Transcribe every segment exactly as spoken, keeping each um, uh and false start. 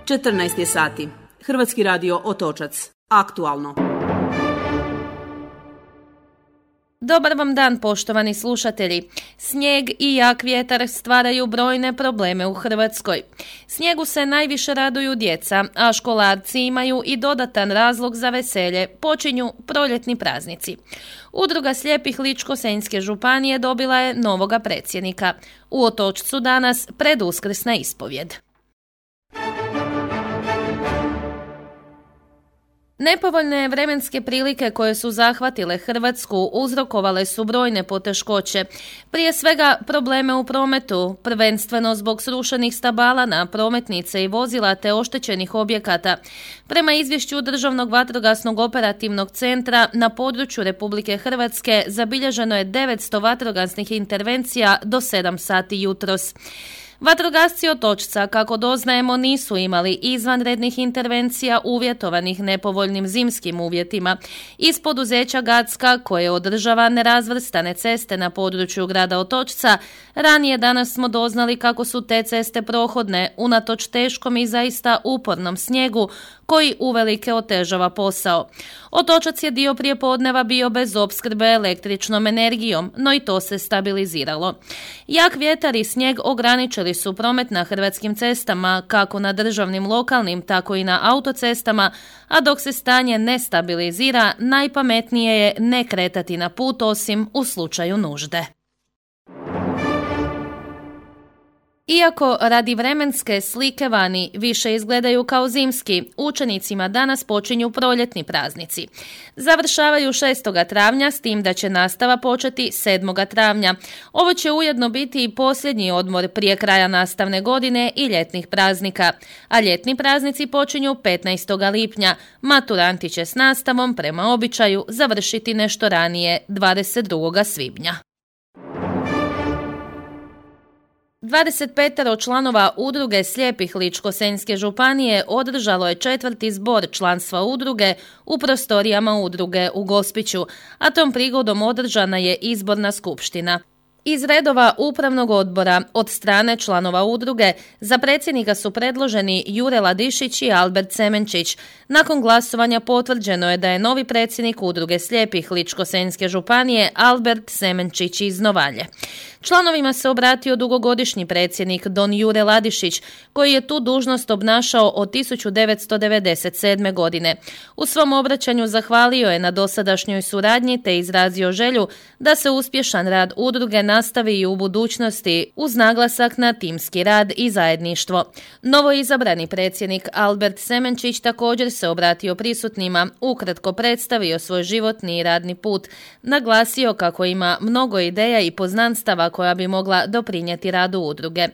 četrnaest je sati. Hrvatski radio Otočac. Aktualno. Dobar vam dan, poštovani slušatelji. Snijeg i jak vjetar stvaraju brojne probleme u Hrvatskoj. Snijegu se najviše raduju djeca, a školarci imaju i dodatan razlog za veselje. Počinju proljetni praznici. Udruga slijepih Ličko-senjske županije dobila je novoga predsjednika. U Otočcu danas preduskrsna ispovjed. Nepovoljne vremenske prilike koje su zahvatile Hrvatsku uzrokovale su brojne poteškoće. Prije svega probleme u prometu, prvenstveno zbog srušenih stabala na prometnice i vozila te oštećenih objekata. Prema izvješću Državnog vatrogasnog operativnog centra na području Republike Hrvatske zabilježeno je devetsto vatrogasnih intervencija do sedam sati jutros. Vatrogasci Otočca, kako doznajemo, nisu imali izvanrednih intervencija uvjetovanih nepovoljnim zimskim uvjetima. Iz poduzeća Gacka, koje održava nerazvrstane ceste na području grada Otočca, ranije danas smo doznali kako su te ceste prohodne, unatoč teškom i zaista upornom snijegu, koji uvelike otežava posao. Otočac je dio prijepodneva bio bez opskrbe električnom energijom, no i to se stabiliziralo. Jak vjetar i snijeg ograničili su promet na hrvatskim cestama, kako na državnim, lokalnim, tako i na autocestama, a dok se stanje ne stabilizira, najpametnije je ne kretati na put osim u slučaju nužde. Iako radi vremenske slike vani više izgledaju kao zimski, učenicima danas počinju proljetni praznici. Završavaju šestog travnja, s tim da će nastava početi sedmog travnja. Ovo će ujedno biti i posljednji odmor prije kraja nastavne godine i ljetnih praznika. A ljetni praznici počinju petnaestog lipnja. Maturanti će s nastavom prema običaju završiti nešto ranije, dvadeset drugog svibnja. dvadeset pet članova udruge slijepih Ličko-senjske županije održalo je četvrti zbor članstva udruge u prostorijama udruge u Gospiću, a tom prigodom održana je izborna skupština. Iz redova upravnog odbora od strane članova udruge za predsjednika su predloženi Jure Ladišić i Albert Semenčić. Nakon glasovanja potvrđeno je da je novi predsjednik udruge slijepih Ličko-senjske županije Albert Semenčić iz Novalje. Članovima se obratio dugogodišnji predsjednik don Jure Ladišić, koji je tu dužnost obnašao od tisuću devetsto devedeset sedme. godine. U svom obraćanju zahvalio je na dosadašnjoj suradnji te izrazio želju da se uspješan rad udruge nastavi i u budućnosti uz naglasak na timski rad i zajedništvo. Novoizabrani predsjednik Albert Semenčić također se obratio prisutnima, ukratko predstavio svoj životni i radni put, naglasio kako ima mnogo ideja i poznanstava koja bi mogla doprinijeti radu udruge.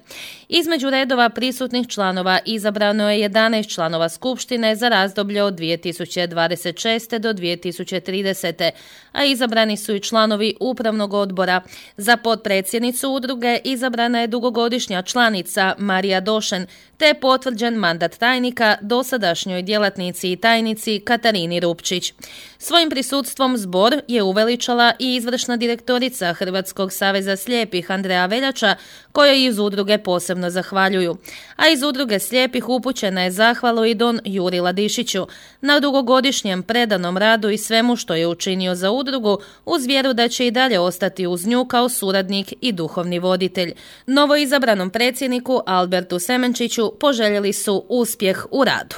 Između redova prisutnih članova izabrano je jedanaest članova skupštine za razdoblje od dvije tisuće dvadeset šeste. do dvije tisuće tridesete. a izabrani su i članovi upravnog odbora. Za potpredsjednicu udruge izabrana je dugogodišnja članica Marija Došen, te je potvrđen mandat tajnika dosadašnjoj djelatnici i tajnici Katarini Rupčić. Svojim prisustvom zbor je uveličala i izvršna direktorica Hrvatskog saveza slijepih Andreja Veljača, kojoj iz udruge posebno zahvaljuju. A iz udruge slijepih upućena je zahvalu i don Juri Ladišiću na dugogodišnjem predanom radu i svemu što je učinio za udrugu, uz vjeru da će i dalje ostati uz nju kao suradnik i duhovni voditelj. Novoizabranom predsjedniku Albertu Semenčiću poželjeli su uspjeh u radu.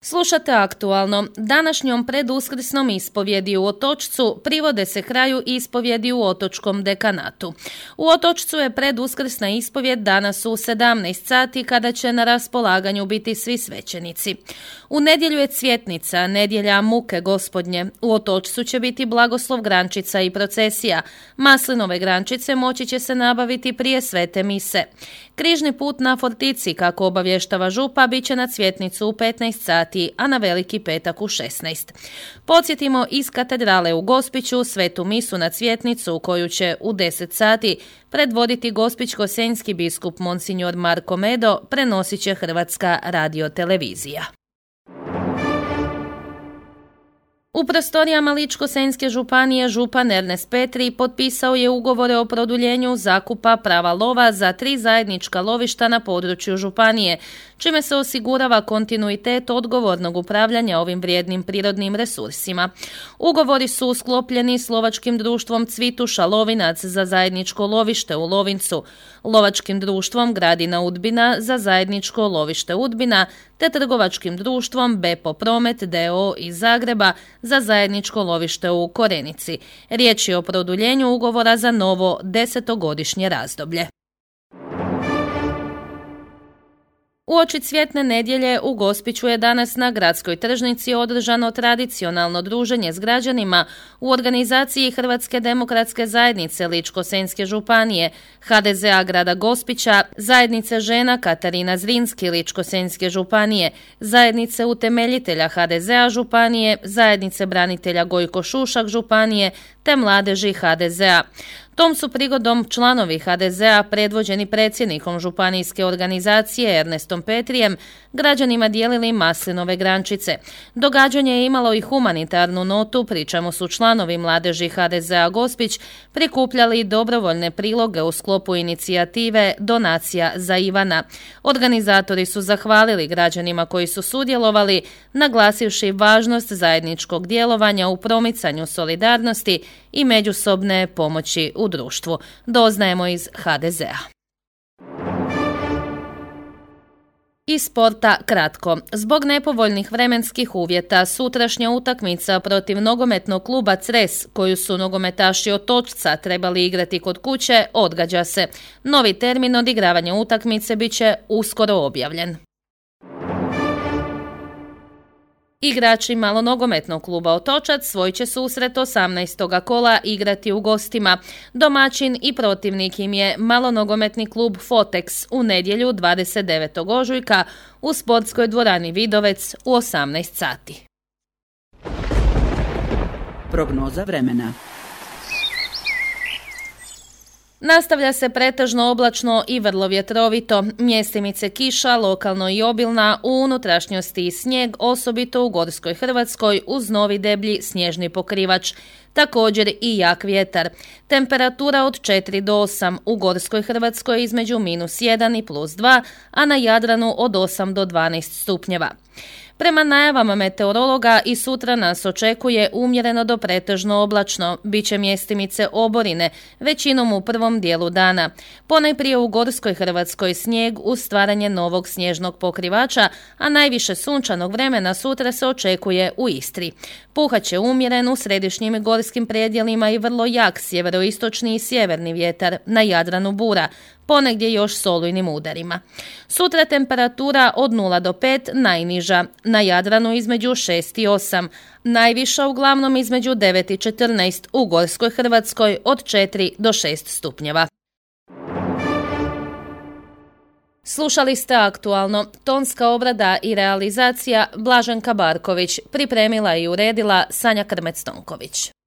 Slušate aktualno. Današnjom preduskrsnom ispovjedi u Otočcu privode se kraju ispovjedi u Otočkom dekanatu. U Otočcu je preduskrsna ispovjed danas u sedamnaest sati kada će na raspolaganju biti svi svećenici. U nedjelju je Cvjetnica, nedjelja muke Gospodnje. U Otočcu će biti blagoslov grančica i procesija. Maslinove grančice moći će se nabaviti prije svete mise. Križni put na Fortici, kako obavještava župa, bit će na Cvjetnicu u petnaest sati, a na Veliki petak u šesnaest. Podsjetimo, iz katedrale u Gospiću svetu misu na Cvjetnicu, koju će u deset sati predvoditi gospićko-senjski biskup Monsignor Marko Medo, prenosit će Hrvatska radiotelevizija. U prostorijama Ličko-senjske županije župan Ernest Petri potpisao je ugovore o produljenju zakupa prava lova za tri zajednička lovišta na području županije, čime se osigurava kontinuitet odgovornog upravljanja ovim vrijednim prirodnim resursima. Ugovori su sklopljeni s lovačkim društvom Cvituša Lovinac za zajedničko lovište u Lovincu, lovačkim društvom Gradina Udbina za zajedničko lovište Udbina, te trgovačkim društvom Bepo Promet d o o iz Zagreba za zajedničko lovište u Korenici. Riječ je o produljenju ugovora za novo desetogodišnje razdoblje. Uoči Cvjetne nedjelje u Gospiću je danas na gradskoj tržnici održano tradicionalno druženje s građanima u organizaciji Hrvatske demokratske zajednice Ličko-senjske županije, ha de ze a grada Gospića, zajednice žena Katarina Zrinski Ličko-senjske županije, zajednice utemeljitelja ha de ze a županije, zajednice branitelja Gojko Šušak županije te mladeži ha de ze a. Tom su prigodom članovi ha de ze a predvođeni predsjednikom županijske organizacije Ernestom Petrijem građanima dijelili maslinove grančice. Događanje je imalo i humanitarnu notu, pri čemu su članovi mladeži ha de ze a Gospić prikupljali dobrovoljne priloge u sklopu inicijative Donacija za Ivana. Organizatori su zahvalili građanima koji su sudjelovali, naglasivši važnost zajedničkog djelovanja u promicanju solidarnosti i međusobne pomoći u društvu. Doznajemo iz ha de ze a. Iz sporta kratko. Zbog nepovoljnih vremenskih uvjeta sutrašnja utakmica protiv nogometnog kluba Cres, koju su nogometaši Otočca trebali igrati kod kuće, odgađa se. Novi termin odigravanja utakmice bit će uskoro objavljen. Igrači malonogometnog kluba Otočac svoj će susret osamnaestog kola igrati u gostima. Domaćin i protivnik im je malonogometni klub Fotex u nedjelju dvadeset devetog ožujka u sportskoj dvorani Vidovec u osamnaest sati. Prognoza vremena. Nastavlja se pretežno oblačno i vrlo vjetrovito. Mjestimice kiša, lokalno i obilna, u unutrašnjosti i snijeg, osobito u Gorskoj Hrvatskoj uz novi deblji snježni pokrivač. Također i jak vjetar. Temperatura od četiri do osam, u Gorskoj Hrvatskoj između minus jedan i plus dva, a na Jadranu od osam do dvanaest stupnjeva. Prema najavama meteorologa i sutra nas očekuje umjereno do pretežno oblačno, bit će mjestimice oborine, većinom u prvom dijelu dana. Ponajprije u Gorskoj Hrvatskoj snijeg uz stvaranje novog snježnog pokrivača, a najviše sunčanog vremena sutra se očekuje u Istri. Puhat će umjeren u središnjim i gorskim predjelima i vrlo jak sjeveroistočni i sjeverni vjetar, na Jadranu bura, ponegdje još s olujnim udarima. Sutra temperatura od nula do pet, najniža, na Jadranu između šest i osam, najviša uglavnom između devet i četrnaest, u Gorskoj Hrvatskoj od četiri do šest stupnjeva. Slušali ste aktualno, tonska obrada i realizacija Blaženka Barković, pripremila i uredila Sanja Krmec-Tonković.